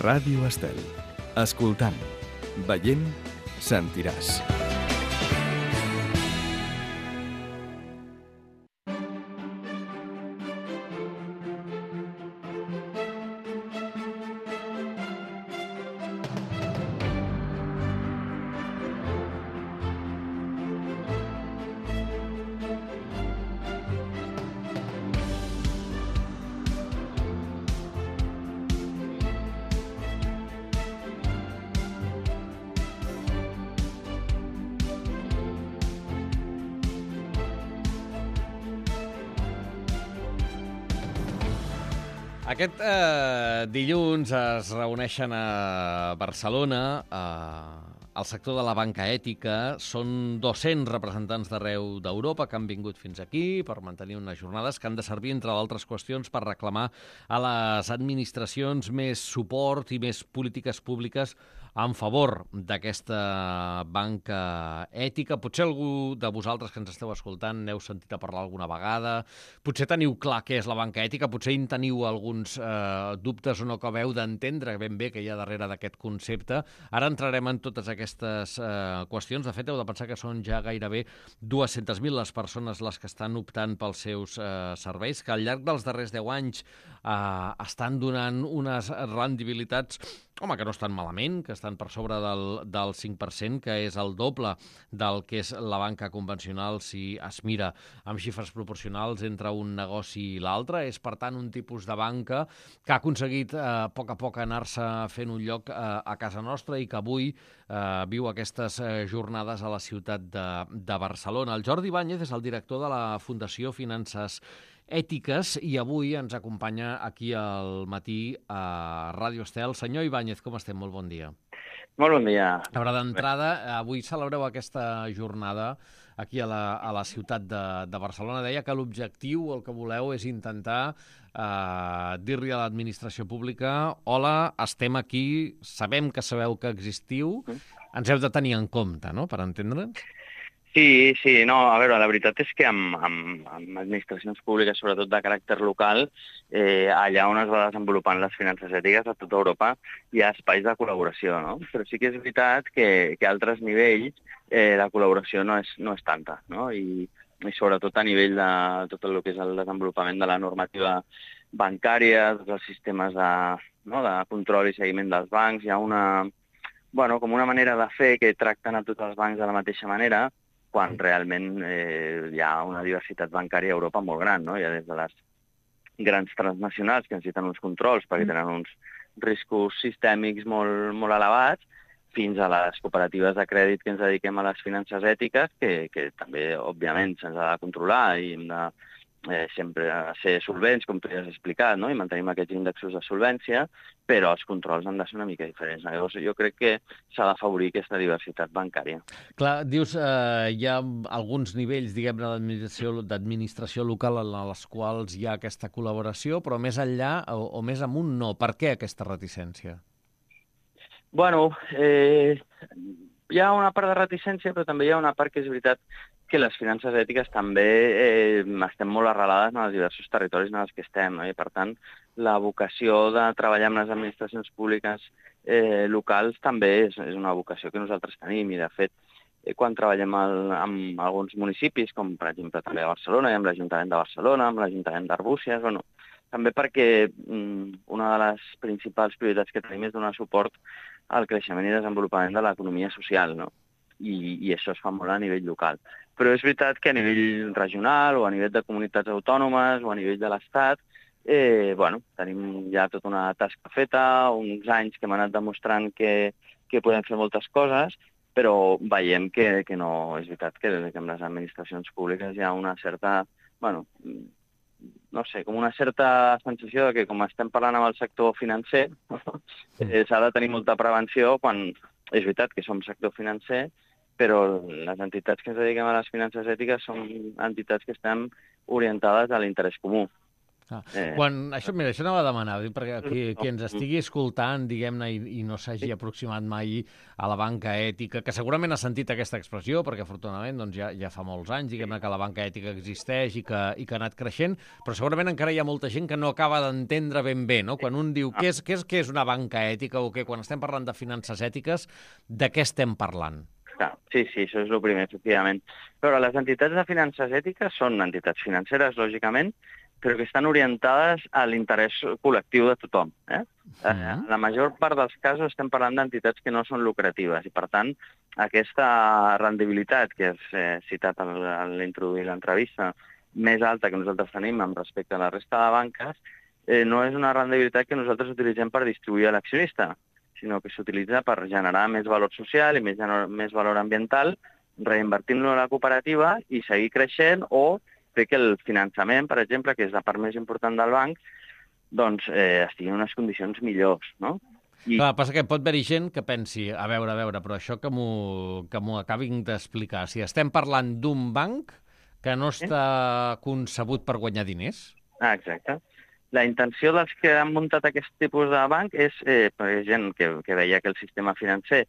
Ràdio Estel. Escoltant, veient, sentiràs. Aquest dilluns es reuneixen a Barcelona al sector de la banca ètica. Són 200 representants d'arreu d'Europa que han vingut fins aquí per mantenir unes jornades que han de servir, entre d'altres qüestions, per reclamar a les administracions més suport i més polítiques públiques en favor d'aquesta banca ètica. Potser algú de vosaltres que ens esteu escoltant n'heu sentit a parlar alguna vegada, potser teniu clar què és la banca ètica, potser en teniu alguns dubtes o no acabeu d'entendre ben bé què hi ha darrere d'aquest concepte. Ara entrarem en totes aquestes qüestions. De fet, heu de pensar que són ja gairebé 200.000 les persones les que estan optant pels seus serveis, que al llarg dels darrers 10 anys estan donant unes rendibilitats que no estan malament, que estan per sobre del 5%, que és el doble del que és la banca convencional si es mira amb xifres proporcionals entre un negoci i l'altre. És, per tant, un tipus de banca que ha aconseguit a poc anar-se fent un lloc a casa nostra i que avui viu aquestes jornades a la ciutat de Barcelona. El Jordi Ibáñez és el director de la Fundació Finances Ètiques i avui ens acompanya aquí al matí a Ràdio Estel. Senyor Ibáñez, com estem? Molt bon dia. Molt bon dia. A veure, d'entrada, avui celebreu aquesta jornada aquí a la ciutat de Barcelona. Deia que l'objectiu, el que voleu, és intentar dir-li a l'administració pública: hola, estem aquí, sabem que sabeu que existiu, ens heu de tenir en compte, no?, per entendre'ns. Sí, no, a veure, la veritat és que amb administracions públiques, sobretot de caràcter local, allà on es va desenvolupant les finances ètiques a tota Europa, hi ha espais de col·laboració, no? Però sí que és veritat que a altres nivells la col·laboració no és tanta, no? I sobretot a nivell de tot el que és el desenvolupament de la normativa bancària, tots els sistemes de control i seguiment dels bancs, hi ha com una manera de fer que tracten a tots els bancs de la mateixa manera, quan realment hi ha una diversitat bancària a Europa molt gran, no? Hi ha des de les grans transnacionals que necessiten uns controls perquè tenen uns riscos sistèmics molt, molt elevats, fins a les cooperatives de crèdit que ens dediquem a les finances ètiques, que també, òbviament, se'ns ha de controlar i hem de sempre ser solvents, com tu ja has explicat, no? I mantenim aquests índexs de solvència, però els controls han de ser una mica diferents. Llavors, jo crec que s'ha d'afavorir aquesta diversitat bancària. Clar, dius, hi ha alguns nivells, diguem-ne, d'administració local en les quals hi ha aquesta col·laboració, però més enllà o més amunt no. Per què aquesta reticència? Bueno, hi ha una part de reticència, però també hi ha una part que és veritat que les finances ètiques també estem molt arrelades en els diversos territoris en els que estem, no? I, per tant, la vocació de treballar amb les administracions públiques locals també és una vocació que nosaltres tenim. I, de fet, quan treballem amb alguns municipis, com per exemple també a Barcelona, i amb l'Ajuntament de Barcelona, amb l'Ajuntament d'Arbúcies, també perquè una de les principals prioritats que tenim és donar suport al creixement i desenvolupament de l'economia social, no? I això es fa molt a nivell local. Però és veritat que a nivell regional o a nivell de comunitats autònomes o a nivell de l'Estat, tenim ja tota una tasca feta, uns anys que hem anat demostrant que podem fer moltes coses, però veiem que no és veritat que amb les administracions públiques hi ha una certa, com una certa sensació de que, com estem parlant amb el sector financer, s'ha de tenir molta prevenció quan és veritat que som sector financer, però les entitats que ens dediquem a les finances ètiques són entitats que estan orientades a l'interès comú. Això anava a demanar, perquè qui ens estigui escoltant, diguem-ne, i no s'hagi aproximat mai a la banca ètica, que segurament ha sentit aquesta expressió, perquè afortunadament doncs, ja fa molts anys, diguem-ne, que la banca ètica existeix i que ha anat creixent, però segurament encara hi ha molta gent que no acaba d'entendre ben bé, no? Quan un diu què és una banca ètica o què, quan estem parlant de finances ètiques, de què estem parlant? Sí, això és el primer, efectivament. Però les entitats de finances ètiques són entitats financeres, lògicament, però que estan orientades a l'interès col·lectiu de tothom. La major part dels casos estem parlant d'entitats que no són lucratives i, per tant, aquesta rendibilitat que has citat a l'introduir l'entrevista, més alta que nosaltres tenim amb respecte a la resta de banques, no és una rendibilitat que nosaltres utilitzem per distribuir a l'accionista, sinó que s'utilitza per generar més valor social i més valor ambiental, reinvertint-lo a la cooperativa i seguir creixent o fer que el finançament, per exemple, que és la part més important del banc, doncs estigui en unes condicions millors, no? Clar, passa que pot haver-hi gent que pensi, a veure, però això que m'ho acabin d'explicar. Si estem parlant d'un banc que no està concebut per guanyar diners? Exacte. La intenció dels que han muntat aquest tipus de banc és gent que veia que el sistema financer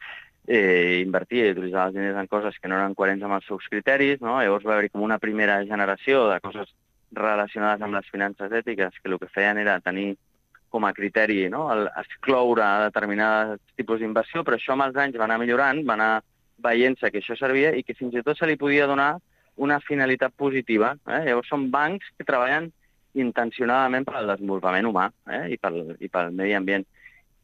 invertia i utilitzava els diners en coses que no eren coherents amb els seus criteris, no? Llavors va haver-hi com una primera generació de coses relacionades amb les finances ètiques que el que feien era tenir com a criteri, no? Excloure determinats tipus d'inversió, però això amb els anys va anar millorant, va anar veient-se que això servia i que fins i tot se li podia donar una finalitat positiva. Llavors són bancs que treballen intencionadament per al desenvolupament humà i pel medi ambient.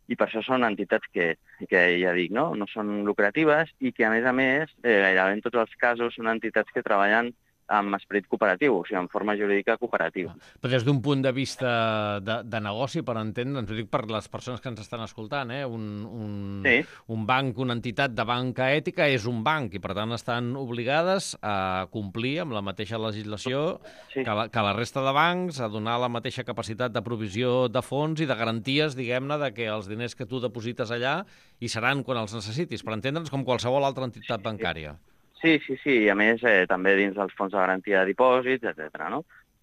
I per això són entitats que ja dic, no són lucratives i que, a més, gairebé en tots els casos són entitats que treballen amb esperit cooperatiu, o sigui, en forma jurídica cooperativa. Però des d'un punt de vista de negoci, per entendre'ns, ho dic per les persones que ens estan escoltant, un banc, una entitat de banca ètica és un banc i, per tant, estan obligades a complir amb la mateixa legislació que la resta de bancs, a donar la mateixa capacitat de provisió de fons i de garanties, diguem-ne, de que els diners que tu deposites allà hi seran quan els necessitis, per entendre'ns com qualsevol altra entitat bancària. Sí, i a més també dins dels fons de garantia de dipòsits, etc. No?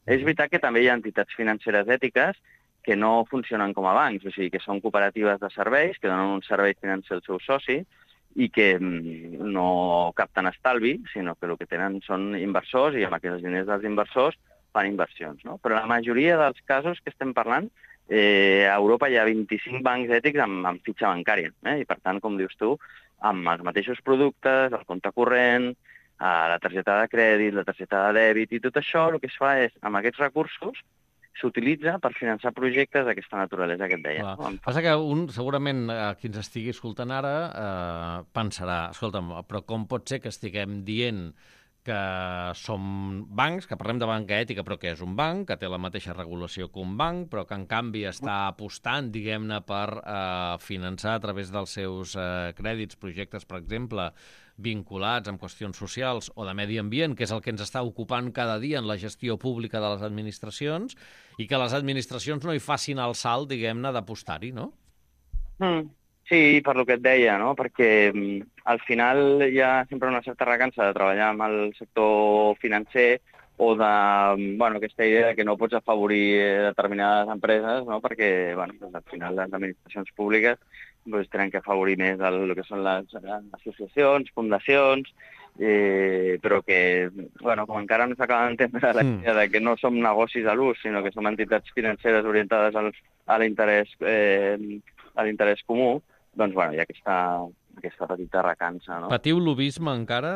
És veritat que també hi ha entitats financeres ètiques que no funcionen com a bancs, o sigui, que són cooperatives de serveis, que donen un servei financer al seu soci i que no capten estalvi, sinó que el que tenen són inversors i amb aquests diners dels inversors fan inversions. No? Però la majoria dels casos que estem parlant, a Europa hi ha 25 bancs ètics amb fitxa bancària i, per tant, com dius tu, amb els mateixos productes, el compte corrent, la targeta de crèdit, la targeta de dèbit i tot això, el que es fa és, amb aquests recursos, s'utilitza per finançar projectes d'aquesta naturalesa que et deia. Passa que segurament, qui ens estigui escoltant ara, pensarà, escolta'm, però com pot ser que estiguem dient que som bancs, que parlem de banca ètica, però que és un banc, que té la mateixa regulació que un banc, però que en canvi està apostant, diguem-ne, per finançar a través dels seus crèdits projectes, per exemple, vinculats amb qüestions socials o de medi ambient, que és el que ens està ocupant cada dia en la gestió pública de les administracions, i que les administracions no hi facin el salt, diguem-ne, d'apostar-hi, no? Sí, per lo que et deia, no? Perquè al final hi ha sempre una certa recança de treballar amb el sector financer o aquesta idea que no pots afavorir determinades empreses, no? Perquè al final les administracions públiques tenen que afavorir més el que són les associacions, fundacions, però que, com encara no s'acaba d'entendre la idea de que no som negocis a l'ús, sinó que som entitats financeres orientades a l'interès comú, doncs, hi ha aquesta petita recança, no? Patiu lobbisme encara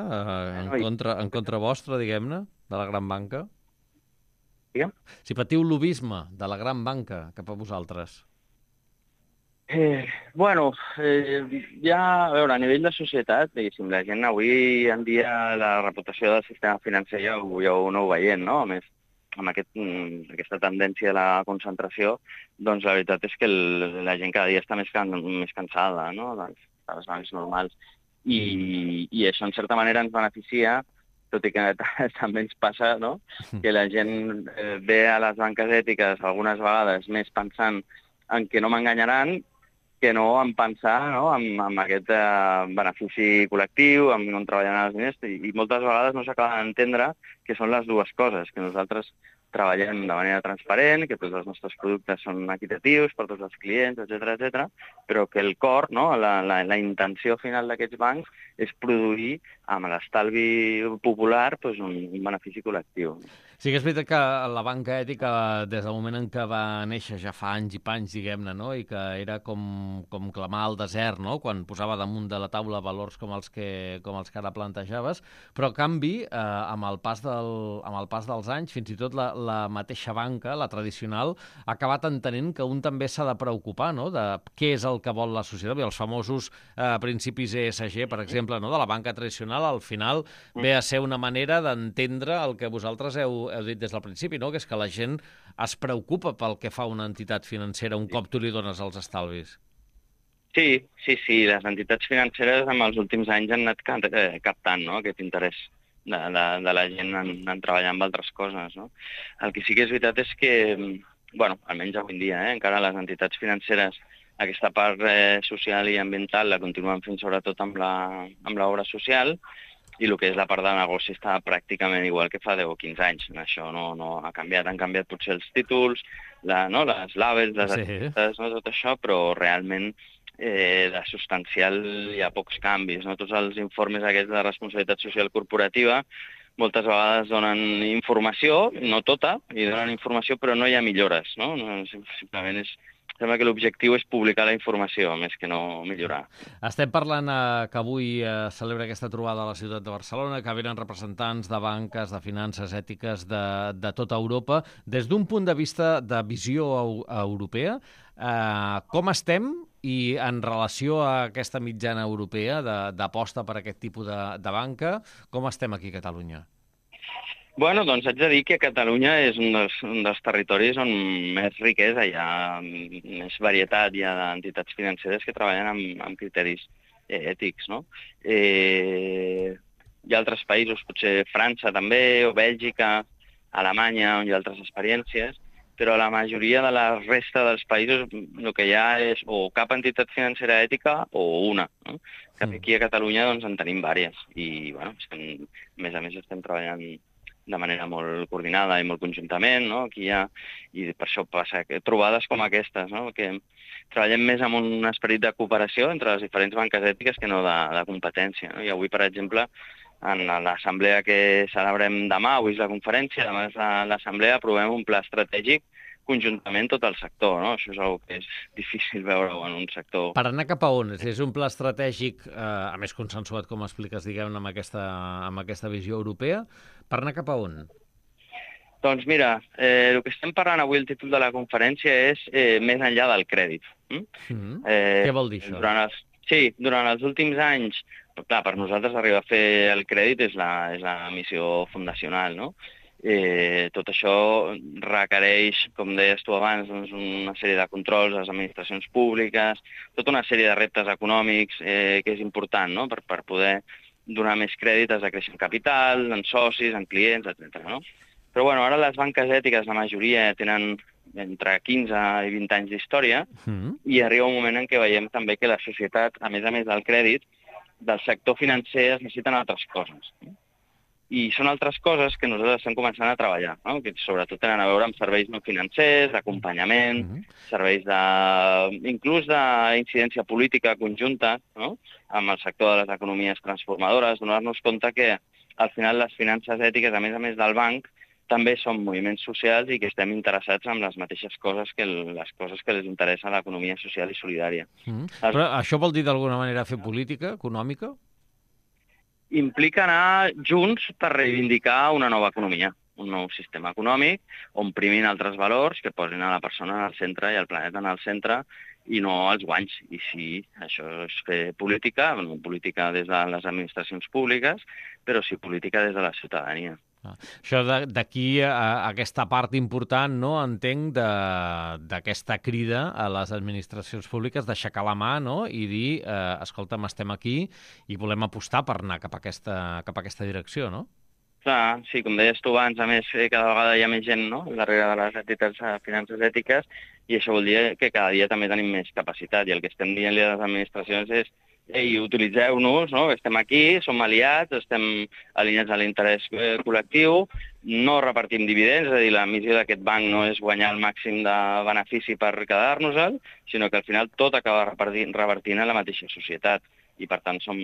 en contra vostra, diguem-ne, de la gran banca? Digue'm? Si patiu lobbisme de la gran banca cap a vosaltres. A veure, a nivell de societat, diguéssim, la gent avui en dia la reputació del sistema financer ja ho aneu veient, no? A més, amb aquesta tendència a la concentració, doncs la veritat és que la gent cada dia està més cansada, no?, de les bancs normals. I això, en certa manera, ens beneficia, tot i que també ens passa, no?, que la gent ve a les banques ètiques algunes vegades més pensant en que no m'enganyaran que no en pensar en aquest benefici col·lectiu, on treballaran els diners, i moltes vegades no s'acaba d'entendre que són les dues coses, que nosaltres treballem de manera transparent, que tots els nostres productes són equitatius per tots els clients, etc, però que el cor, no, la intenció final d'aquests bancs és produir amb l'estalvi popular doncs, un benefici col·lectiu. Sí que és veritat que la banca ètica, des del moment en què va néixer ja fa anys i panys, diguem-ne, no? I que era com clamar al desert, no? Quan posava damunt de la taula valors com els que ara plantejaves, però, en canvi, amb el pas dels anys, fins i tot la mateixa banca, la tradicional, ha acabat entenent que un també s'ha de preocupar, no?, de què és el que vol la societat. I els famosos principis ESG, per exemple, no?, de la banca tradicional, al final ve a ser una manera d'entendre el que vosaltres heu dit des del principi, no?, que és que la gent es preocupa pel que fa una entitat financera un cop tu li dones els estalvis. Sí, les entitats financeres en els últims anys han anat captant, no?, aquest interès de la gent en treballar amb altres coses, no? El que sí que és veritat és que, almenys avui en dia, encara les entitats financeres, aquesta part social i ambiental la continuen fent sobretot amb l'obra social, i el que és la part de negoci està pràcticament igual que fa 10 o 15 anys. Això no ha canviat. Han canviat potser els títols, les labels, les etiquetes, tot això, però realment de substancial hi ha pocs canvis. No? Tots els informes aquests de responsabilitat social corporativa moltes vegades donen informació, no tota, i donen informació, però no hi ha millores. No? Simplement sembla que l'objectiu és publicar la informació, més que no millorar. Estem parlant que avui celebra aquesta trobada a la ciutat de Barcelona, que venen representants de banques, de finances ètiques de tota Europa. Des d'un punt de vista de visió europea, com estem i en relació a aquesta mitjana europea d'aposta per aquest tipus de banca, com estem aquí a Catalunya? Doncs haig de dir que Catalunya és un dels territoris on més riquesa hi ha, més varietat hi ha d'entitats financeres que treballen amb criteris ètics, no? Hi ha altres països, potser França també, o Bèlgica, Alemanya, on hi ha altres experiències, però la majoria de la resta dels països el que hi ha és o cap entitat financera ètica o una, no? Que aquí a Catalunya en tenim diverses i, a més a més estem treballant de manera molt coordinada i molt conjuntament, no? Aquí hi ha, i per això passa trobades com aquestes, no? Que treballem més amb un esperit de cooperació entre les diferents banques ètiques que no de competència. No? I avui, per exemple, en l'assemblea que celebrem demà, avui és la conferència, demà és l'assemblea, aprovem un pla estratègic conjuntament tot el sector, no? Això és una que és difícil veure en un sector. Per anar cap a on? És un pla estratègic, a més consensuat, com expliques, diguem-ne, amb aquesta visió europea. Per anar cap a on? Doncs mira, el que estem parlant avui, el títol de la conferència és més enllà del crèdit. Què vol dir això? Durant els últims anys, clar, per nosaltres arribar a fer el crèdit és la missió fundacional, no? Tot això requereix, com deies tu abans, una sèrie de controls a les administracions públiques, tota una sèrie de reptes econòmics que és important, no? Per poder donar més crèdit has de créixer en capital, en socis, en clients, etc. No? Però ara les banques ètiques, la majoria, tenen entre 15 i 20 anys d'història i arriba un moment en què veiem també que la societat, a més del crèdit, del sector financer es necessiten altres coses. I són altres coses que nosaltres estem començant a treballar, no? Que sobretot tenen a veure amb serveis no financers, d'acompanyament, serveis inclús d'incidència política conjunta, no? Amb el sector de les economies transformadores, donar-nos compte que al final les finances ètiques, a més del banc, també són moviments socials i que estem interessats en les mateixes coses que les coses que les interessa a l'economia social i solidària. Però això vol dir d'alguna manera fer política econòmica? Implica anar junts per reivindicar una nova economia, un nou sistema econòmic, on primin altres valors que posin a la persona al centre i el planeta en el centre i no els guanys. I sí, això és fer política, no política des de les administracions públiques, però sí política des de la ciutadania. Això d'aquí a aquesta part important, no, entenc, d'aquesta crida a les administracions públiques d'aixecar la mà, no, i dir, escolta'm, estem aquí i volem apostar per anar cap a aquesta direcció, no? Clar, sí, com deies tu abans, a més, cada vegada hi ha més gent, no?, darrere de les entitats de finances ètiques, i això vol dir que cada dia també tenim més capacitat, i el que estem dient-li a les administracions és utilitzeu-nos, no? Estem aquí, som aliats, estem alineats a l'interès col·lectiu, no repartim dividends, és a dir, la missió d'aquest banc no és guanyar el màxim de benefici per quedar-nos-el, sinó que al final tot acaba revertint a la mateixa societat. I, per tant, som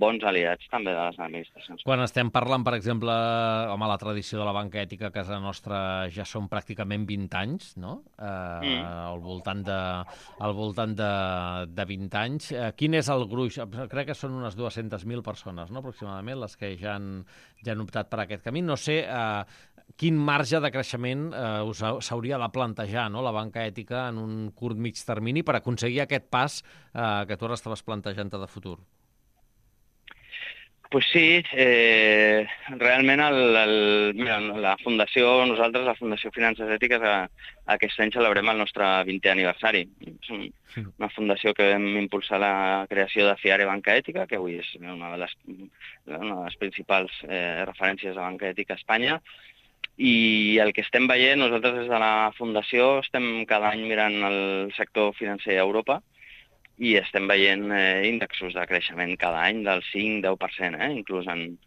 bons aliats també de les administracions. Quan estem parlant, per exemple, la tradició de la banca ètica a casa nostra ja són pràcticament 20 anys, no? Al voltant de 20 anys. Quin és el gruix? Crec que són unes 200.000 persones, no?, aproximadament, les que ja han optat per aquest camí. No sé quin marge de creixement s'hauria de plantejar, no?, la banca ètica en un curt mig termini per aconseguir aquest pas que tu ara estaves plantejant de futur. Pues sí, realment la Fundació, nosaltres, la Fundació Finances Ètiques, aquest any celebrem el nostre 20è aniversari. És una fundació que vam impulsar la creació de FIARE Banca Ètica, que avui és una de les principals referències de banca ètica a Espanya. I el que estem veient, nosaltres des de la Fundació estem cada any mirant el sector financer a Europa i estem veient índexs de creixement cada any del 5-10%, inclús en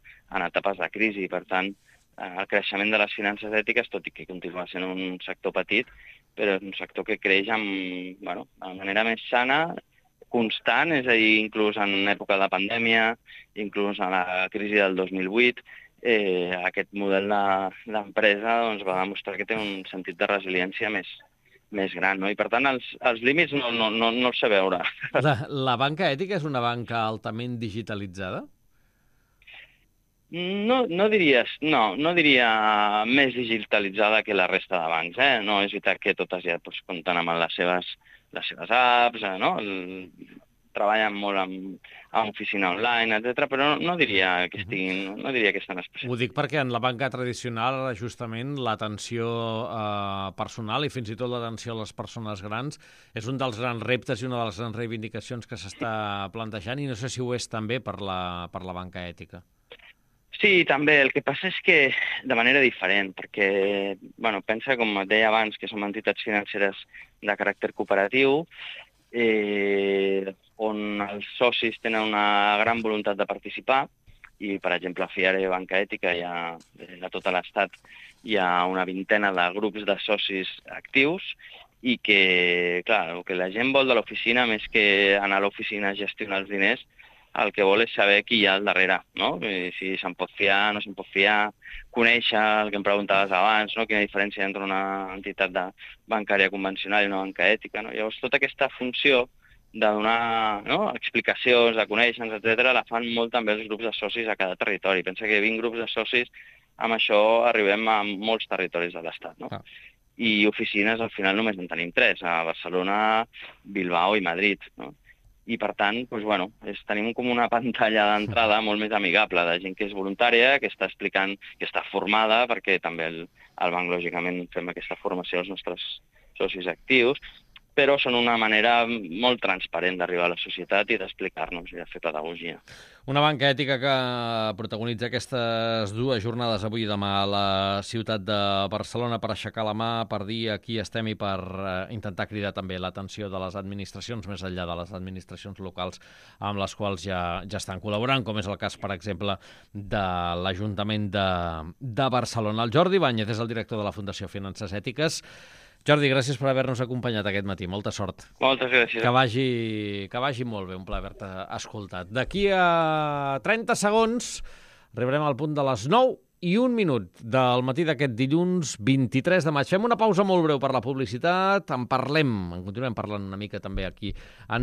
etapes de crisi. Per tant, el creixement de les finances ètiques, tot i que continua sent un sector petit, però és un sector que creix de manera més sana, constant, és a dir, inclús en època de pandèmia, inclús en la crisi del 2008, aquest model d'empresa va demostrar que té un sentit de resiliència més gran, no? I per tant els límits no els sé veure. La banca ètica és una banca altament digitalitzada? No diria més digitalitzada que la resta de bancs, No, és veritat que totes ja compten amb les seves apps, no? Treballen molt amb oficina online, etc., però no diria que estan especials. Ho dic perquè en la banca tradicional, justament, l'atenció personal i fins i tot l'atenció a les persones grans és un dels grans reptes i una de les grans reivindicacions que s'està plantejant, i no sé si ho és també per la banca ètica. Sí, també. El que passa és que de manera diferent, perquè pensa, com et deia abans, que som entitats financeres de caràcter cooperatiu, on els socis tenen una gran voluntat de participar i, per exemple, a FIARE Banca Ètica a tot l'Estat hi ha una vintena de grups de socis actius i que, clar, el que la gent vol de l'oficina, més que anar a l'oficina a gestionar els diners, el que vol és saber qui hi ha al darrere, no? Si se'n pot fiar, no se'n pot fiar, conèixer el que em preguntaves abans, no? Quina diferència entre una entitat bancària convencional i una banca ètica, no? Llavors, tota aquesta funció de donar explicacions, de conèixer-nos, etc., la fan molt també els grups de socis a cada territori. Pensa que 20 grups de socis, amb això arribem a molts territoris de l'Estat, no? I oficines, al final, només en tenim 3, a Barcelona, Bilbao i Madrid, no? I, per tant, tenim com una pantalla d'entrada molt més amigable de gent que és voluntària, que està explicant, que està formada, perquè també al banc, lògicament, fem aquesta formació als nostres socis actius, però són una manera molt transparent d'arribar a la societat i d'explicar-nos i de fer pedagogia. Una banca ètica que protagonitza aquestes 2 jornades avui i demà a la ciutat de Barcelona per aixecar la mà, per dir aquí estem i per intentar cridar també l'atenció de les administracions, més enllà de les administracions locals amb les quals ja estan col·laborant, com és el cas, per exemple, de l'Ajuntament de Barcelona. El Jordi Báñez és el director de la Fundació Finances Ètiques. Jordi, gràcies per haver-nos acompanyat aquest matí. Molta sort. Moltes gràcies. Que vagi molt bé, un plaer haver-te escoltat. D'aquí a 30 segons arribarem al punt de les 9:01 del matí d'aquest dilluns 23 de maig. Fem una pausa molt breu per la publicitat, en continuem parlant una mica també aquí en